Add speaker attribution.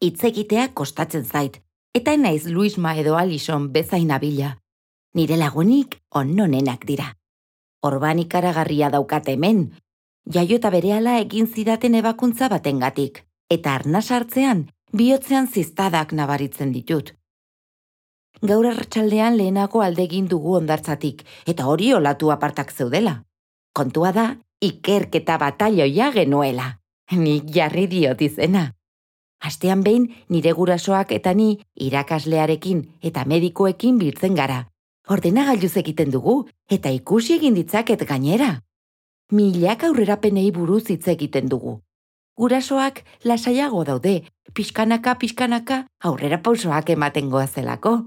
Speaker 1: Hitz egitea kostatzen zait, eta naiz Luisma edo Alison bezain abila. Nire lagunik onenak dira. Orban ikaragarria daukat hemen, jaiota berehala egin zidaten ebakuntza batengatik, eta arnas hartzean, bihotzean ziztadak nabaritzen ditut. Gaur arratsaldean lehenago alde egin dugu hondartzatik, eta hori olatu apartak zeudela. Kontua da, ikerketa batalioia genuela. Nik jarri diot izena. Astean behin nire gurasoak eta ni irakaslearekin eta medikuekin biltzen gara. Ordenagailuz egiten dugu eta ikusi egin ditzaket gainera. Milaka aurrerapenei buruz hitz egiten dugu. Gurasoak lasaiago daude, pixkanaka aurrera pausoak ematen goazelako.